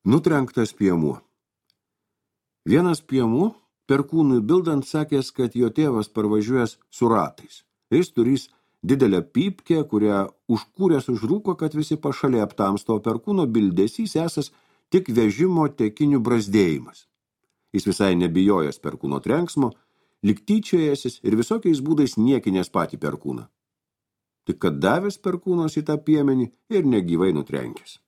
Nutrenktas piemuo. Vienas piemuo perkūnui bildant sakęs, kad jo tėvas parvažiuojas su ratais. Jis turys didelę pypkę, kurią užkūręs užrūko, kad visi pašaliai aptamsto, o perkūno bildesys esas tik vežimo tekinių brazdėjimas. Jis visai nebijojęs perkūno trenksmo, lyg tyčiojęsis ir visokiais būdais niekinės patį perkūną. Tik kad davęs perkūnas į tą piemenį ir negyvai nutrenkęs.